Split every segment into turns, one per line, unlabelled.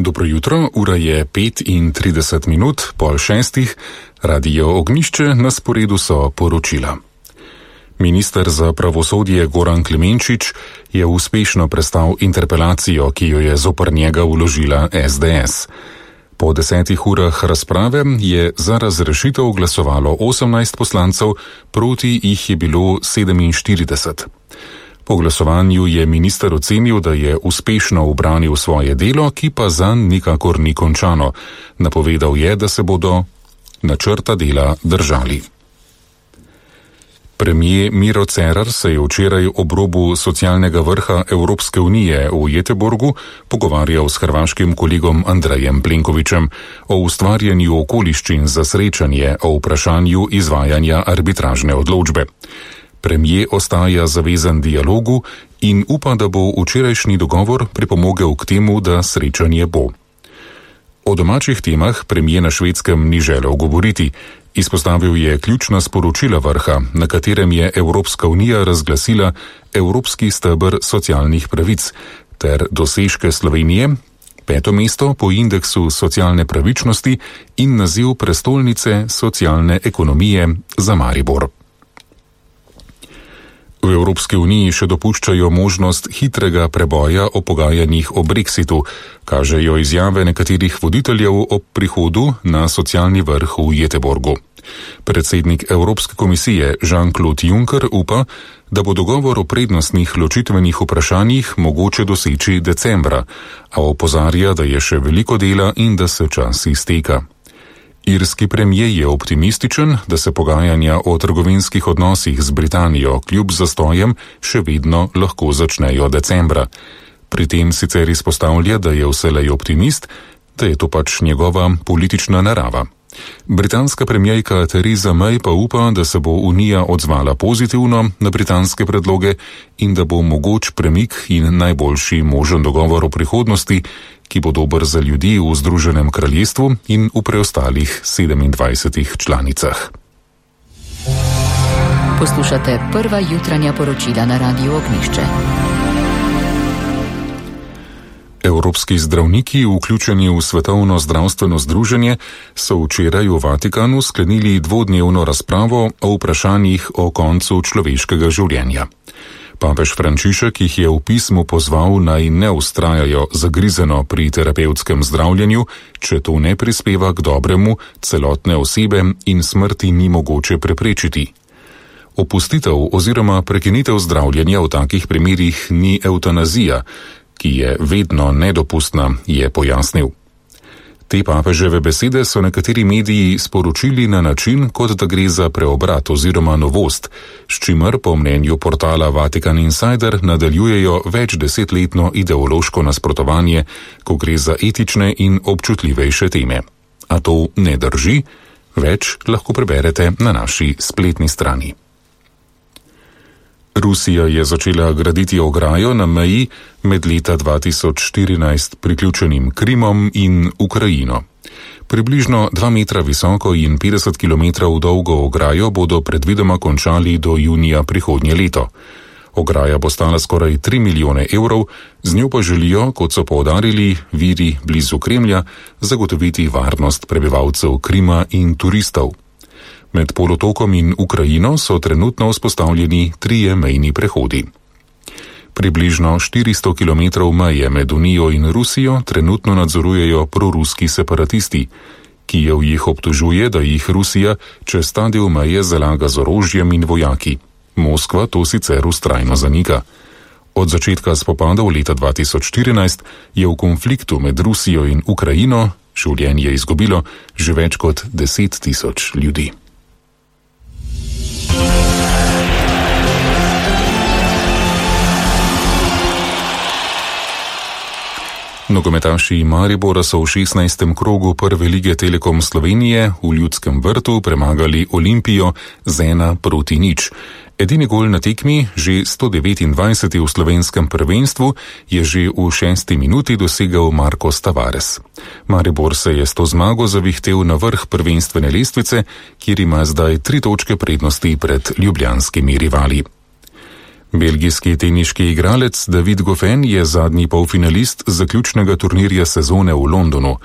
Dobro jutro, ura je 5:30, 5:30, Radio Ognjišče, na sporedu so poročila. Minister za pravosodje Goran Klemenčič je uspešno prestal interpelacijo, ki jo je zoper njega vložila SDS. Po 10 urah razprave je za razrešitev glasovalo 18 poslancev, proti jih je bilo 47. Po glasovanju je minister ocenil, da je uspešno ubranil svoje delo, ki pa zanj nikakor ni končano. Napovedal je, da se bodo načrta dela držali. Premier Miro Cerar se je včeraj ob robu socialnega vrha Evropske unije v Göteborgu pogovarjal s hrvaškim kolegom Andrejem Plenkovićem o ustvarjanju okoliščin za srečanje o vprašanju izvajanja arbitražne odločbe. Premier ostaja zavezan dialogu in upa, da bo včerajšnji dogovor pripomogel k temu, da srečanje bo. O domačih temah premier na Švedskem ni želel govoriti. Izpostavil je ključna sporočila vrha, na katerem je Evropska unija razglasila Evropski steber socialnih pravic ter dosežke Slovenije, 5. mesto po indeksu socialne pravičnosti in naziv prestolnice socialne ekonomije za Maribor. V Evropski uniji še dopuščajo možnost hitrega preboja o pogajanjih o Brexitu, kažejo izjave nekaterih voditeljev ob prihodu na socialni vrh v Göteborgu. Predsednik Evropske komisije Jean-Claude Juncker upa, da bo dogovor o prednostnih ločitvenih vprašanjih mogoče doseči decembra, a opozarja, da je še veliko dela in da se čas izteka. Irski premier je optimističen, da se pogajanja o trgovinskih odnosih z Britanijo kljub zastojem še vedno lahko začnejo decembra. Pri tem sicer izpostavlja, da je vselej optimist, da je to pač njegova politična narava. Britanska premierka Theresa May pa upa, da se bo Unija odzvala pozitivno na britanske predloge in da bo mogoč premik in najboljši možen dogovor o prihodnosti, ki bo dober za ljudi v Združenem kraljestvu in v preostalih 27 članicah.
Poslušate prva jutranja poročila na Radiu Ognjišče.
Evropski zdravniki, vključeni v Svetovno zdravstveno združenje, so včeraj v Vatikanu sklenili dvodnevno razpravo o vprašanjih o koncu človeškega življenja. Papež Frančišek jih je v pismu pozval, naj ne vztrajajo zagrizeno pri terapevtskem zdravljenju, če to ne prispeva k dobremu celotne osebe in smrti ni mogoče preprečiti. Opustitev oziroma prekinitev zdravljenja v takih primerih ni evtanazija, ki je vedno nedopustna, je pojasnil. Te papeževe besede so nekateri mediji sporočili na način, kot da gre za preobrat oziroma novost, s čimer po mnenju portala Vatican Insider nadaljujejo večdesetletno ideološko nasprotovanje, ko gre za etične in občutljivejše teme. A to ne drži? Več lahko preberete na naši spletni strani. Rusija je začela graditi ograjo na meji med leta 2014 priključenim Krimom in Ukrajino. Približno 2 metra visoko in 50 kilometrov dolgo ograjo bodo predvidoma končali do junija prihodnje leto. Ograja bo stala skoraj 3 milijone evrov, z njo pa želijo, kot so poudarili viri blizu Kremlja, zagotoviti varnost prebivalcev Krima in turistov. Med polotokom in Ukrajino so trenutno vzpostavljeni 3 mejni prehodi. Približno 400 kilometrov meje med Unijo in Rusijo trenutno nadzorujejo proruski separatisti. Kijev jih obtožuje, da jih Rusija čez ta del meje zalaga z orožjem in vojaki. Moskva to sicer vztrajno zanika. Od začetka spopadov leta 2014 je v konfliktu med Rusijo in Ukrajino življenje izgubilo že več kot 10 tisoč ljudi. Nogometaši Maribora so v 16. krogu prve lige Telekom Slovenije v Ljudskem vrtu premagali Olimpijo z 1:0. Edini gol na tekmi, že 129. v slovenskem prvenstvu, je že v 6. minuti dosegel Marcos Tavares. Maribor se je s to zmago zavihtel na vrh prvenstvene lestvice, kjer ima zdaj 3 točke prednosti pred ljubljanskimi rivali. Belgijski teniški igralec David Goffin je zadnji polfinalist zaključnega turnirja sezone v Londonu.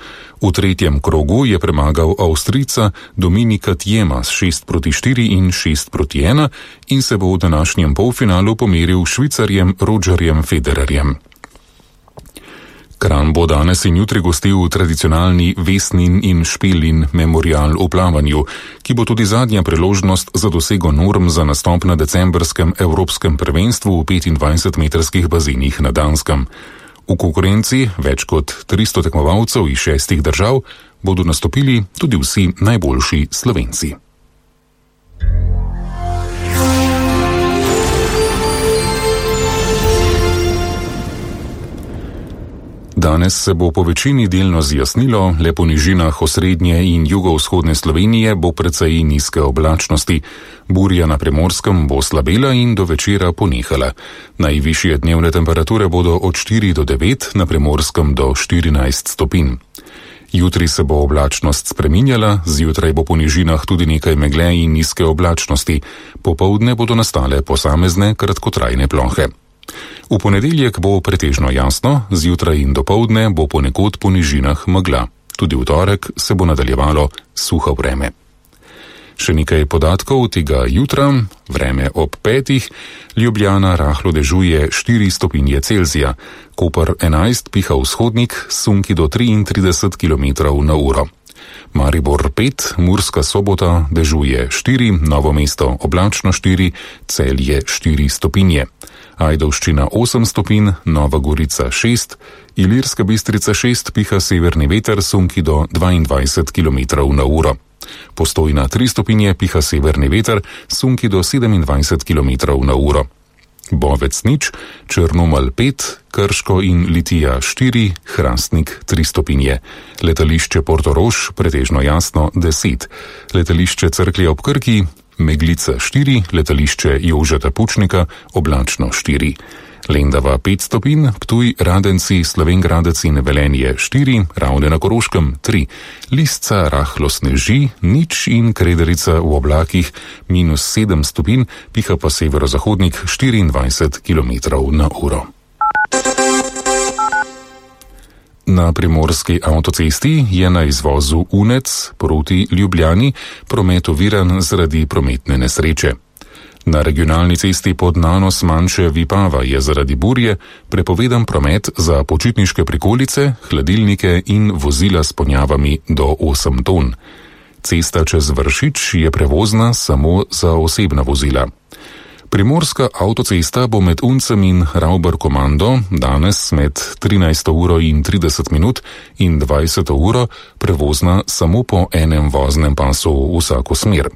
V tretjem krogu je premagal Avstrijca Dominika Thiema s 6-4 in 6-1 in se bo v današnjem polfinalu pomeril s Švicarjem Rogerjem Federerjem. Kranj bo danes in jutri gostil tradicionalni Vesnin in Špelin memorial v plavanju, ki bo tudi zadnja priložnost za dosego norm za nastop na decembrskem evropskem prvenstvu v 25-metrskih bazenih na Danskem. V konkurenci več kot 300 tekmovalcev iz 6 držav bodo nastopili tudi vsi najboljši Slovenci. Danes se bo po večini delno zjasnilo, le po nižinah osrednje in jugovzhodne Slovenije bo precej nizke oblačnosti. Burja na Primorskem bo slabela in do večera ponehala. Najvišje dnevne temperature bodo od 4 do 9, na Primorskem do 14 stopinj. Jutri se bo oblačnost spreminjala, zjutraj bo po nižinah tudi nekaj megle in nizke oblačnosti. Popoldne bodo nastale posamezne kratkotrajne plohe. V ponedeljek bo pretežno jasno, zjutraj in dopoldne bo ponekod po nižinah megla. Tudi v torek se bo nadaljevalo suho vreme. Še nekaj podatkov tega jutra, vreme ob 5, Ljubljana rahlo dežuje 4 stopinje Celzija, Koper 11 piha vzhodnik, sunki do 33 km/h. Maribor 5, Murska Sobota dežuje 4, Novo mesto oblačno 4, Celje 4 stopinje. Ajdovščina 8 stopinj, Nova Gorica 6, Ilirska Bistrica 6 piha severni veter, sunki do 22 km/h. Postojna 3 stopinje piha severni veter, sunki do 27 km/h. Bovec 0, Črnomelj 5, Krško in Litija 4, Hrastnik 3 stopinje. Letališče Portorož pretežno jasno 10, letališče Cerklje ob Krki Meglica 4, letališče Jožeta Pučnika oblačno 4. Lendava 5 stopinj, Ptuj, Radenci, Slovenj Gradec in Velenje 4, Ravne na Koroškem 3, Lisca rahlo sneži, 0 in Krederica v oblakih -7 stopinj, piha pa severozahodnik 24 km/h. Na primorski avtocesti je na izvozu Unec proti Ljubljani promet oviran zaradi prometne nesreče. Na regionalni cesti pod nanos manjše Vipava je zaradi burje prepovedan promet za počitniške prikolice, hladilnike in vozila s ponjavami do 8 ton. Cesta čez Vršič je prevozna samo za osebna vozila. Primorska avtocesta bo med Uncem in Rauber Komando danes med 13:30 in 20 prevozna samo po enem voznem pasu vsako smer.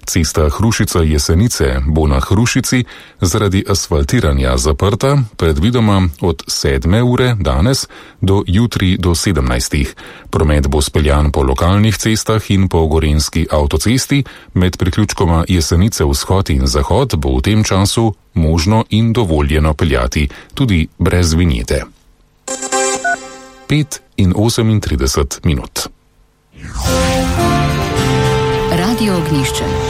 Cesta Hrušica-Jesenice bo na Hrušici zaradi asfaltiranja zaprta predvidoma od 7 ure danes do jutri do 17. Promet bo speljan po lokalnih cestah in po gorenjski avtocesti, med priključkoma Jesenice vzhod in zahod bo v tem času možno in dovoljeno peljati tudi brez vinjete. 5:38.
Radio Ognjišče.